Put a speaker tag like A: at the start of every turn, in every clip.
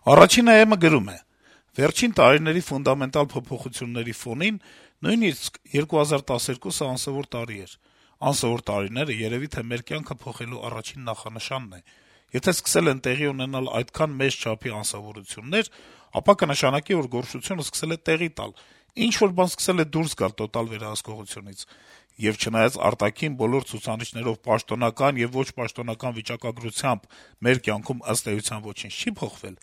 A: Առաջին ԱԵՄ-ը գրում է. - «Վերջին տարիների ֆունդամենտալ փոփոխությունների ֆոնին նույնիսկ 2012-ը անսովոր տարի էր: Անսովոր տարիները երեւի թե մեր կյանքը փոխելու առաջին նախանշանն է: Եթե սկսել են տեղի ունենալ այդքան մեծ չափի անսովորություններ, ապա կնշանակի, որ գոռշությունը սկսել է տեղի տալ, ինչ-որ բան սկսել է դուրս գալ տոտալ վերահսկողությունից: Եվ չնայած արտաքին բոլոր ցուցանիշներով պաշտոնական եւ ոչ պաշտոնական վիճակագրությամբ մեր կյանքում ըստ էության ոչինչ չի փոխվել,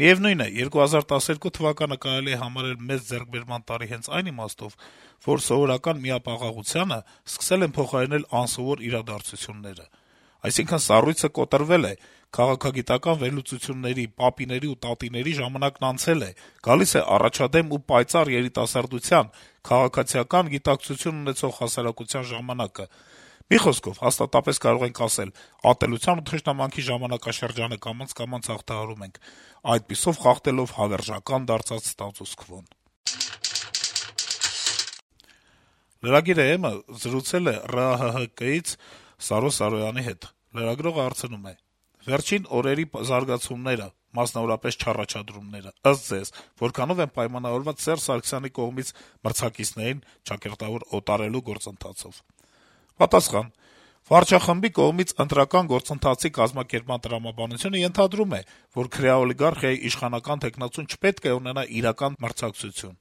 A: միեւնույն է, 2012 թվականը կարելի է համարել մեծ ձեռքբերման տարի հենց այն իմաստով, որ սովորական միապաղաղությանը սկսել են փոխարինել անսովոր իրադարձությունները: Այսինքն՝ սառույցը կոտրվել է, քաղաքագիտական վերլուծությունների, պապիների ու տատիների ժամանակն անցել է, գալիս է առաջադեմ ու պայծառ երիտասարդության, քաղաքացիական գիտակցություն ունեցող հասարակության ժամանակը: Մի խոսքով, հաստատապես կարող ենք ասել՝ ատելության ու թշնամանքի ժամանակաշրջանը կամաց-կամաց հաղթահարում ենք, այդպիսով խախտելով հավերժական դարձած ստատուս քվոն»: Lragir.am-ը զրուցել է ՌԱՀՀԿ-ից Սարո Սարոյանի հետ: Լրագրողը հարցնում է. - «Վերջին օրերի զարգացումները, մասնավորապես չառաջադրումները, ըստ Ձեզ, որքանո՞վ են պայմանավորված Սերժ Սարգսյանի կողմից մրցակիցներին ճակերտավոր օտարելու գործընթացով»: Պատասխան. - «Վարչախմբի կողմից ընտրական գործընթացի կազմակերպման տրամաբանությունը ենթադրում է, որ քրեաօլիգարխիայի իշխանական թեկնածուն չպետք է ունենա իրական մրցակցություն: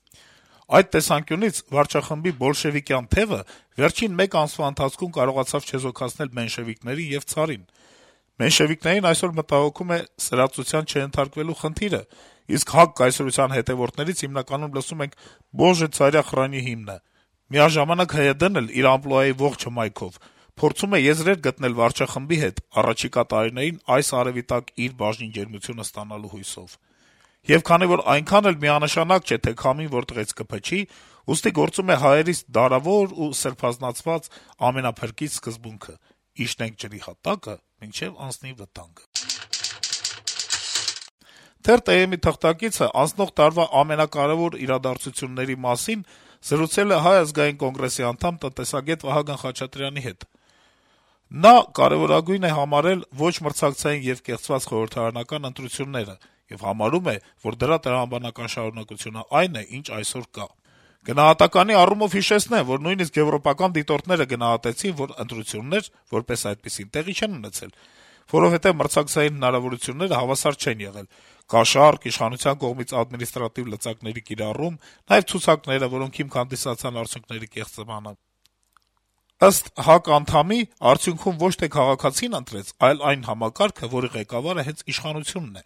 A: Այդ տեսանկյունից վարչախմբի բոլշեվիկյան թեւը վերջին մեկ ամսվա ընթացքում կարողացավ չեզոքացնել մենշեվիկներին եւ ցարին: Մենշեվիկներին այսօր մտահոգում է սրածության չենթարկվելու խնդիրը, իսկ ՀԱԿ կայսրության հետեւորդներից հիմնականում լսում ենք «Բոժե, ցարյա խռանի» հիմնը: Միաժամանակ ՀՅԴ-ն էլ իր ամպլուայի ողջ հմայքով փորձում է եզրեր գտնել վարչախմբի հետ առաջիկա տարիներին այս արեւի տակ իր բաժնին ջերմությունը ստանալու հույսով: Եվ քանի որ այնքան էլ միանշանակ չէ, թե քամին որտեղից կփչի, ուստի գործում է հայերիս դարավոր ու սրբազանցված ամենափրկիչ սկզբունքը՝ «Իջնենք ջրի հատակը, մինչեւ անցնի վտանգը»: Թերթ.am-ի թղթակիցը անցնող տարվա ամենակարեւոր իրադարձությունների մասին զրուցել է Հայ ազգային կոնգրեսի անդամ, տնտեսագետ Վահագն Խաչատրյանի հետ: Նա կարեւորագույն է համարել ոչ մրցակցային եւ կեղծված խորհրդարանական ընտրությունները եւ համարում է, որ դրա տրամաբանական շարունակությունը այն է, ինչ այսօր կա: Գնահատականի առումով հիշեցնեմ, որ նույնիսկ եվրոպական դիտորդները գնահատեցին, որ ընտրություններ, որպես այդպիսին, տեղի չեն ունեցել, որովհետեւ մրցակցային հնարավորությունները հավասար չեն եղել. կաշառք, իշխանության կողմից ադմինիստրատիվ լծակների կիրառում, նաեւ ցուցակները, որոնք հիմք հանդիսացան արդյունքների կեղծմանը: Ըստ ՀԱԿ անդամի, արդյունքում ոչ թե քաղաքացին ընտրեց, այլ այն համակարգը, որի ղեկավարը հենց իշխանությունն է: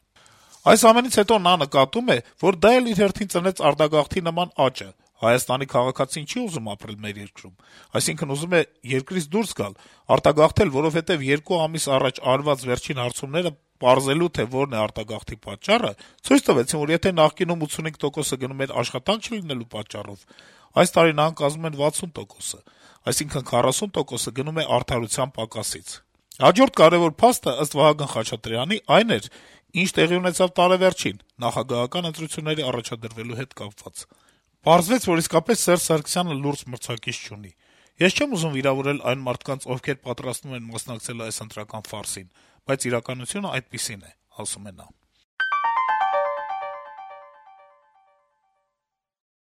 A: Այս ամենից հետո նա նկատում է, որ դա էլ իր հերթին ծնեց արտագաղթի նման աճը. Հայաստանի քաղաքացին չի ուզում ապրել մեր երկրում, այսինքն ուզում է երկրից դուրս գալ, արտագաղթել, որովհետեւ 2 ամիս առաջ արված վերջին հարցումները պարզելու, թե որն է արտագաղթի պատճառը, ցույց տվեցին, որ եթե նախկինում 85%-ը գնում էր աշխատանք չլինելու պատճառով, այս տարի նրանք կազմում են 60%, այսինքն 40%-ը գնում է արդարության պակասից: Հաջորդ կարեւոր փաստը, ըստ Վահագն Խաչատրյանի, այն էր, ինչ տեղի ունեցավ տարեվերջին՝ նախագահական ընտրությունների առաջադրվելու հետ կապված: Պարզվեց, որ իսկապես Սերժ Սարգսյանը լուրջ մրցակից չունի: Ես չեմ ուզում վիրավորել այն մարդկանց, ովքեր պատրաստվում են մասնակցել այս ընտրական ֆարսին, բայց իրականությունն այդպիսին է», - ասում է նա: